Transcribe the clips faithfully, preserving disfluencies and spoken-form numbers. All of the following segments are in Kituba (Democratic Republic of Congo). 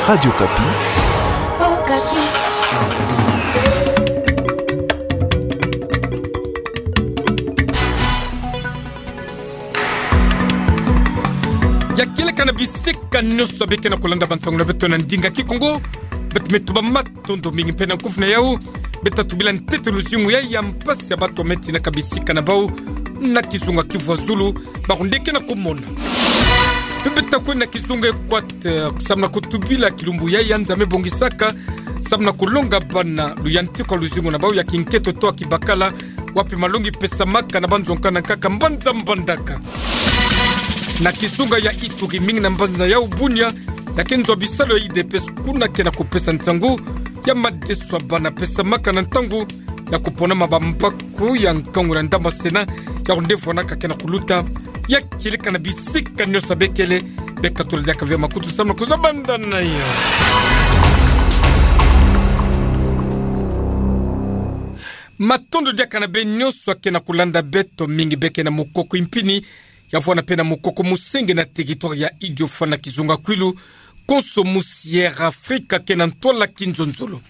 Radio Okapi. Okapi. Ya kieleka na bisika nyonso beke na kolanda bansangu na beto na ndinga Kikongo. Beto me tuba matondo mingi mpe na nkufi na yau. Beto tubila ntete luzingu ya, ya mpasi ya bato me tinaka bisika na bau na kizunga Kivu ya Zulu, bawu nde ke na kumona. Mpe beto kwenda kizunga Equateur, samu na kutubila kilumbu ya, ya nza me bongisaka samu na kulonga bana luyantiku ya luzingu na bau ya kinkento to ya kibakala, wapi malongi pesamaka na banzo nkaka na nkaka mbanza Mbandaka. Na kizunga ya Ituri, mingi na mbanza yau Bunia, ya ke nzo ya bisalu ya U D P S kuna ke na kupesa nsangu ya madeso ya bana pesamaka na ntangu ya kuponama bambaku ya nkangu na ndambu ya Sénat, yawu nde vwanaka ke na kuluta. Ya kieleka na bisika nyonso bekele, beka tula diaka ve makutu samu na kuzwa banda na yo. Matondo diaka na beno nyonso ke na kulanda beto, mingi beke na mukoko impini, ya vwanda mpe na mukoko musenge na territoire ya Idiofa na kizunga Kwilu, konso musi Air Afrika ke na ntwala kinzonzolo.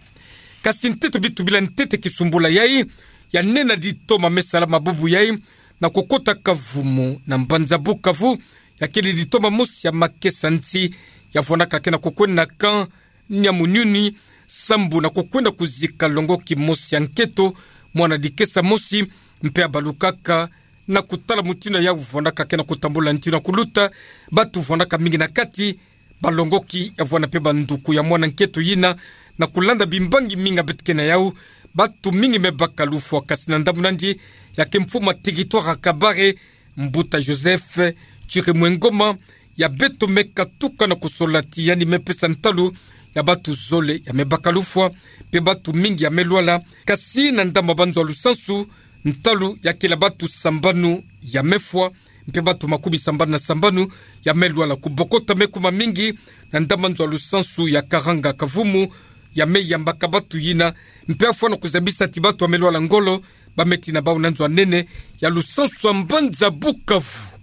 Kasi ntete bitubila ntete kisumbula yai, ya nena ditoma me sala mabubu yai, na kukota kavumu na mbanza Bukavu, ya kele ditoma mosi ya makesa nti, ya vwandaka ke na kukwenda na camp Nyamunyuni, sambu na kukwenda kuzika longoki mosi ya nkento, mwana dikesa mosi, mpe abalukaka, na kutala mutindu yau vwandaka ke na kutambula nti na kuluta, batu vwandaka mingi na kati, balongoki ya vwanda mpe banduku ya mwana nkento yina, na kulanda bimbangi mingi beto ke na yau, batu mingi me baka lufwa kasi na ndambu nandi, ya ke mfumu ya territoire ya Kabare, Mbuta Joseph Chirimwengoma, ya beto me katuka na kusola ti yandi me pesa ntalu ya batu zole ya me baka lufwa, mpe batu mingi ya me lwala, kasi na ndambu ya banzo ya lusansu, ntalu ya kele batu sambanu ya me fwa, mpe batu makumi sambanu na sambanu ya me lwala. Kubokota me kuma mingi na ndambu ya nzo ya lusansu ya Karanga Kavumu, ya me yambaka batu yina, mpe ya fwa na kuzabisa ti batu ya me lwala ngolo, ba me tina bau na nzo ya nene ya lusansu ya mbanza Bukavu.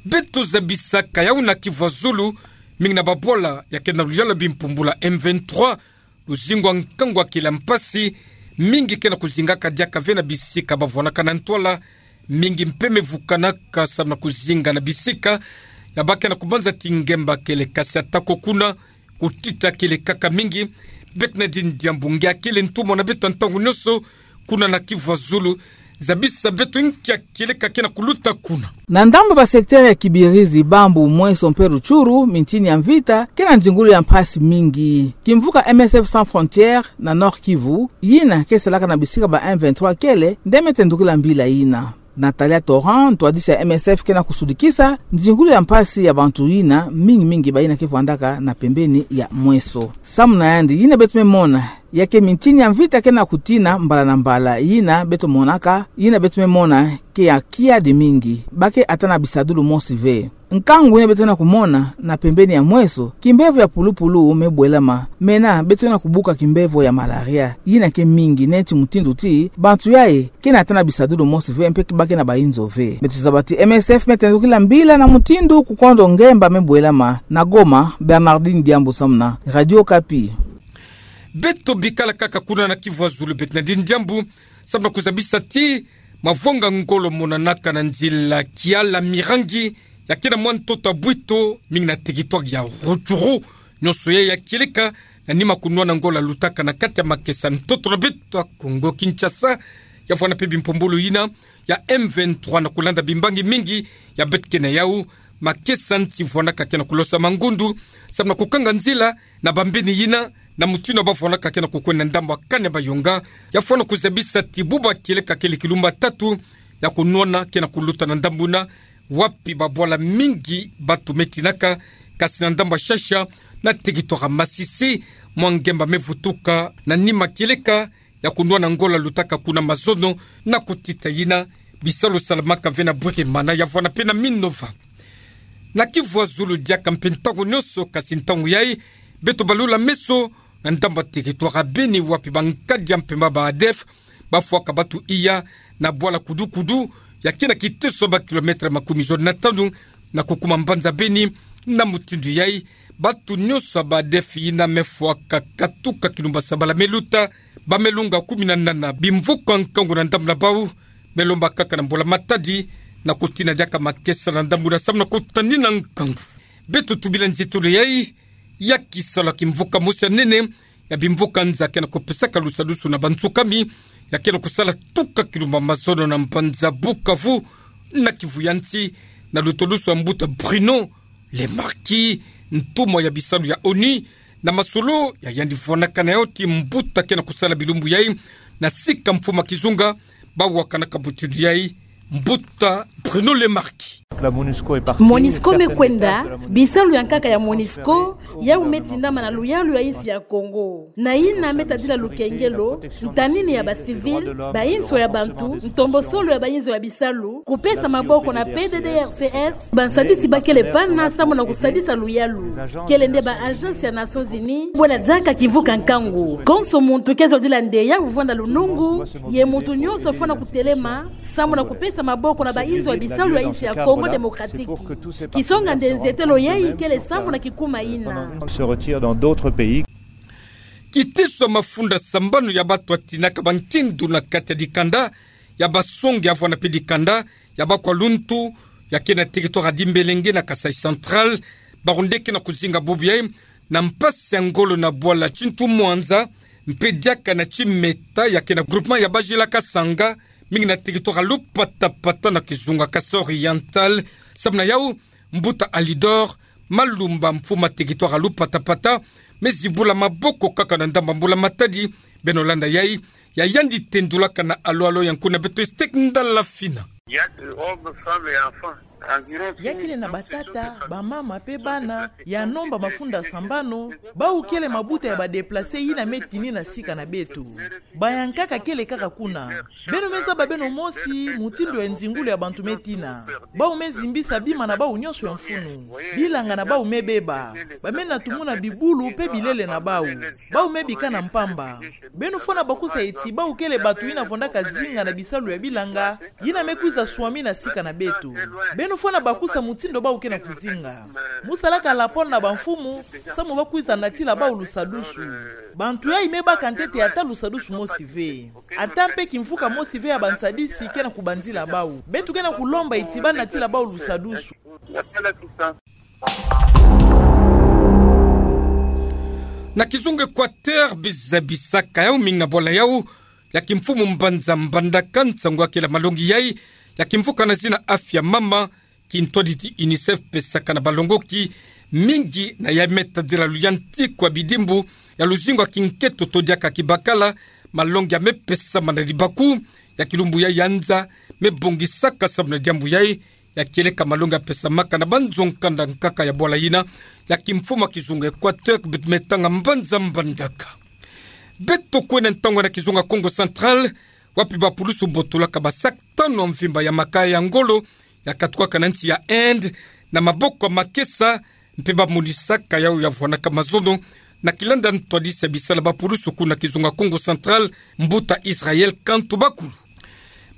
Beto zabisaka yau na Kivu ya Zulu, mingi na babwala ya ke na luyala bimpumbulu ya M vingt-trois, luzingu ya nkangu ya kila mpasi, mingi ke na kuzingaka diaka ve na bisika ba vwandaka na ntwala, mingi mpe me vukanaka samu na kuzinga na bisika ya ba ke na kubanza ti ngemba kele, kasi atako kuna, kutita kele kaka mingi. Bernardine Diambu nge akele ntumwa na beto ya ntangu nyonso kuna na Kivu ya Zulu, zabisa beto nki ya kieleka ke na kuluta kuna. Na ndambu ba secteur ya Kibirizi, Bambu, Mweso mpe Rutshuru, mintini ya mvita ke na nzingulu ya mpasi mingi. Kimvuka M S F Sans Frontières na Nord-Kivu, yina ke salaka na bisika ba M vingt-trois kele, nde me tendukila mbila yina. Natalia Torrent, ntwadisi ya M S F ke na kusudikisa nzingulu ya mpasi ya bantu yina, mingi mingi bayina ke vwandaka na pembeni ya Mweso. Samu na yandi, yina beto me mona ya ke mintini ya mvita ke na kutina mbala na mbala, yina beto monaka, yina beto me mona ke ya kiadi mingi, ba ke ata na bisadulu mosi ve. Nkangu yina beto ke na kumona na pembeni ya Mweso, kimbevo ya pulupulu me bwelama, mena beto ke na kubuka kimbevo ya malaria, yina ke mingi, neti mutindu ti bantu yai ke na ata na bisadulu mosi ve, mpe ba ke na bayinzo ve. Beto zaba ti M S F me tendukila mbila na mutindu kukondo ngemba me bwelama. Na Goma, Bernardine Diambu samu na Radio Okapi. Beto bikala kaka kuna na Kivu ya Zulu, Bernardine Diambu, samu na kuzabisa ti mavwanga ngolo monanaka na nzila Kiala Mirangi, ya ke na mwa ntoto ya Bwito, mingi na territoire ya Rutshuru. Nyonso yai ya kieleka na nima kunwana ngolo lutaka na kati ya makesa ntoto na beto ya Kongo Kinshasa, ya vwanda mpe bimpumbulu yina ya M vingt-trois na kulanda bimbangi mingi ya beto ke na yau, makesa nti vwandaka ke na kulosa mangundu, samu na kukanga nzila na bambeni yina, na mutindu ba vwandaka ke na kukwenda na ndambu ya Kanebayonga, ya fwana kuzabisa ti bubu ya kieleka kele kilumbu ya tatu ya kunwana ke na kuluta na ndambu yina, wapi babwala mingi bantu me tinaka, kasi na ndambu ya Shasha, na territoire ya Masisi, mwa ngemba me vutuka na nima kieleka ya kunwana ngolo lutaka kuna mazono, na kutita yina, bisalu salamaka ve na Bweremana, ya vwanda mpe na Minova. Na Kivu ya Zulu diaka mpe ntangu nyonso, kasi ntangu yai, beto balula meso na ndambu ya territoire ya Beni, wapi bankadi ya mpemba ba ADF bafwaka bantu iya na bwala Kudukudu, ya ke na kiteso ba kilomètre makumi zole na tanu na kukuma mbanza Beni. Na mutindu yai, Bato nyonso ba ADF yina me fwaka katuka kilumba sabala me luta, ba me lunga kumi na nana bimvuka nkangu na ndambu na bau, me lomba kaka na mbulamatadi na kutina diaka makesa na ndambu na samu na kutanina nkangu. Beto tubila nzietolo yai, ya kisalu ya kimvuka mosi ya nene ya bimvuka nza ke na kupesaka lusadusu na bantsukami, ya ke na kusala tuka kilumba mazono na mbanza Bukavu, na Kivu ya nsi, na lutulusu ya mbuta Bruno Le Marquis, ntumwa ya bisalu ya ONU, na masolo ya yandi vwanaka na yau ti mbuta ke na kusala bilumbu yai na sika mfumu ya kizunga, bau wakanaka butudu yai, mbuta Bruno Le Marquis. La MONUSCO est partie. MONUSCO me kwenda, bisalu ya nkaka ya MONUSCO yau me tindama na luyalu ya insi ya Kongo. Na yina me tadila lukengelo, ntanini ya ba civils, bainso ya bantu, ntombosolo ya bainzo ya bisalu, kupesa maboko na P D D R C S, bansadisi bakele pana samu na kusadisa luyalu. Kele nde ba agences ya Nations Unies, bwela diaka kimvuka nkangu. Konso muntu ke zodila nde ya vwanda lunungu, ye muntu nyonso fwana kutelema samu na kupesa maboko na bainzo ya bisalu ya insi ya Kongo Démocratique. Kisonga nde nzietolo yai kele samu na kikuma yina. Se retire dans d'autres pays. Kitiswa mafunda sambanu ya bato batinaka bankindu na kati ya dikanda, ya basongi ya vwanda mpe dikanda, ya bakwa luntu, ya ke na territoire ya Dimbélengué na Kasaï Central, bawu nde ke na kuzinga bubu yai na mpasi ya ngolo na bwala Tintu Mwanza, mpe diaka na Timeta, ya ke na groupement ya Bajila Kasanga, mingi na territoire ya Lupatapata na kizunga Kasaï Oriental. Samu na yau, mbuta Alidor Malumba, mfumu ya territoire ya Lupatapata, me zibula maboko kaka na ndambu ya mbulamatadi. Beno landa yai, ya yandi tendulaka na alo-alo ya nkuna beto Estek Ndala Fina. Il y a des hommes, femmes et enfants. Environ six mille. Ya kele na batata, bamama mpe bana, ya nomba mafunda sambanu, bau kele mabuta ya ba déplacés yina me tini na sika na beto. Bayankaka kele kaka kuna. Beno me zaba beno mosi mutindu ya nzingulu ya bantu me tina. Bau me zimbisa bima na bau nyonso ya mfunu. Bilanga na bau me beba. Ba me na tumuna bibulu mpe bilele na bau. Bau me bikana mpamba. Beno fwana bakusa eti bau kele bato yina vwandaka zinga na bisalu ya bilanga, yina me kwiza swami na sika na beto. Beno fwana bakusa mutindu bau ke na kuzinga. Mu salaka lapona na bamfumu, samu ba kwiza natila bau lusadusu. Bantu yai me baka ntete ata lusadusu mosi ve. Ata mpe kimvuka mosi ve ya bansadisi ke na kubanzila bau. Beto ke na kulomba eti ba natila bau lusadusu. Na kizunga Équateur, biza bisaka yau mingi na bwala yau ya kimfumu mbanza Mbandaka nsangu ya kela malongi yai ya kimvuka na zina Afya Mama, kintwaditi UNICEF pesaka na balongoki mingi na yai me tadila luyantiku ya bidimbu ya luzingu ya kinkento to diaka kibakala. Malongi ya me pesama na libaku ya kilumbu yai ya nza me bongisaka samu na diambu yai ya kieleka malongi ya pesamaka na banzo nkanda nkaka ya bwala yina ya kimfumu ya kizunga Équateur, beto me tanga mbanza Mbandaka. Beto kwenda ntangu na kizunga Kongo Central, wapi bapulusu botolaka ba sac tanu ya mvimba ya makaya ya ngolo ya katukaka na nsi ya Inde na maboko ya makesa, mpe ba monisaka yau ya vwanaka mazono, na kilanda ntwadisi ya bisala bapulusu kuna kizunga Kongo Central, mbuta Israël Kantu Bakulu.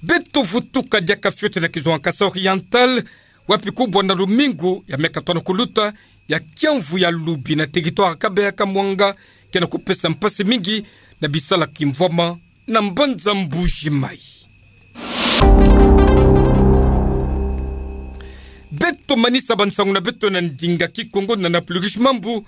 Beto vutuka diaka fioti na kizunga Kasaï Oriental, wapi kubwa na lumingu ya me katwa na kuluta ya kiamvu ya lubi na territoire ya Kabeya Kamwanga ke na kupesa mpasi mingi na bisala kimvwama na mbanza Mbuji Mayi. Beto manisa bansangu na beto na ndinga Kikongo na Napluguish Mambu,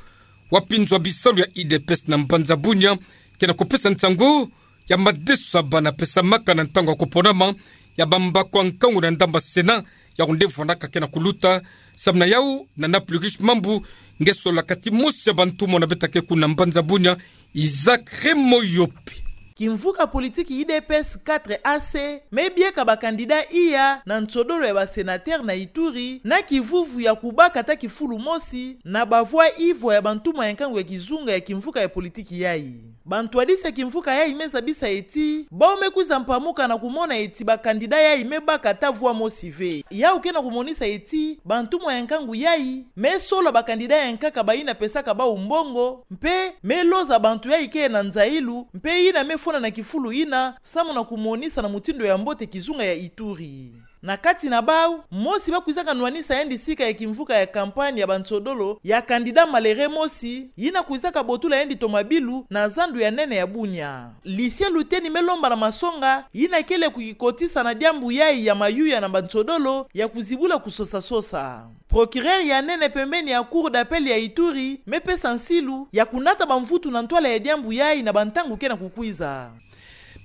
wapi nzo ya bisalu ya U D P S na mbanza Bunia ke na kupesa nsangu ya madeso ya bana pesamaka na ntangu ya kuponama ya bambaku ya nkangu na ndambu ya Sénat, yau nde vwanaka ke na kuluta. Samu na yau, na Napluguish Mambu nge solaka ti mosi ya bantumona beto ya ke kuna mbanza Bunia, Isaac Remoyope. Kimvuka politiki U D P S quatre A C me bieka ba candidat iya na nsodolo ya ba sénateur na Ituri na kivuvu ya kubaka ata kifulu mosi na ba voix ivwa ya bantumwa ya nkangu ya kizunga ya kimvuka ya politiki yai. Bantwadisi ya kimvuka yai me zabisa eti bau me kwiza mpamuka na kumona eti ba candidat yai me baka ata voix mosi ve. Yau ke na kumonisa eti bantumwa ya nkangu yai me sola ba candidat ya nkaka bayina pesaka bau mbongo, mpe me loza bantu yai ke na nzailu, mpe yina me fwana na kifulu yina samu na kumonisa na mutindu ya mbote kizunga ya Ituri. Na kati na bau, mosi ba kwizaka nwanisa yandi sika ya kimvuka ya campagne ya bansodolo ya candidat malere mosi, yina kwizaka botula yandi tomabilu na zandu ya nene ya Bunia. Lucien Luteni me lomba na masonga, yina kele kukikotisa na diambu yayi ya mayuya na bansodolo ya kuzibula kusosa-sosa. Procureur ya nene pembeni ya Cour d'appel ya Ituri me pesa nsilu ya kunata bamvutu na ntwala ya diambu yayi na bantangu ke na kukwiza.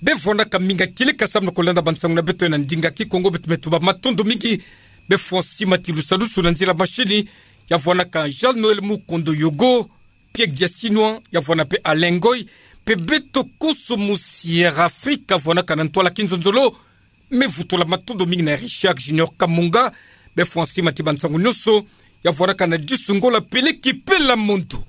Bevwanaka mingi kieleka samu na kolanda bansangu na beto na ndinga Kikongo, beto me tuba matondo mingi. Befwa nsima ti lusalusu na nzila mashini, ya vwanaka Jean Noël Mukondo Yogo, Pierre Diasinwa, ya vwana pe Alain Ngoy, pe beto konso mu Sierra Afrika, vwanaka na ntwala kinzonzolo, me vutula matondo mingi na Richard Junior Kamunga. Befwa nsima ti bansangu nyonso, ya vwanaka na Disu Ngola Peleki Pela Mondo.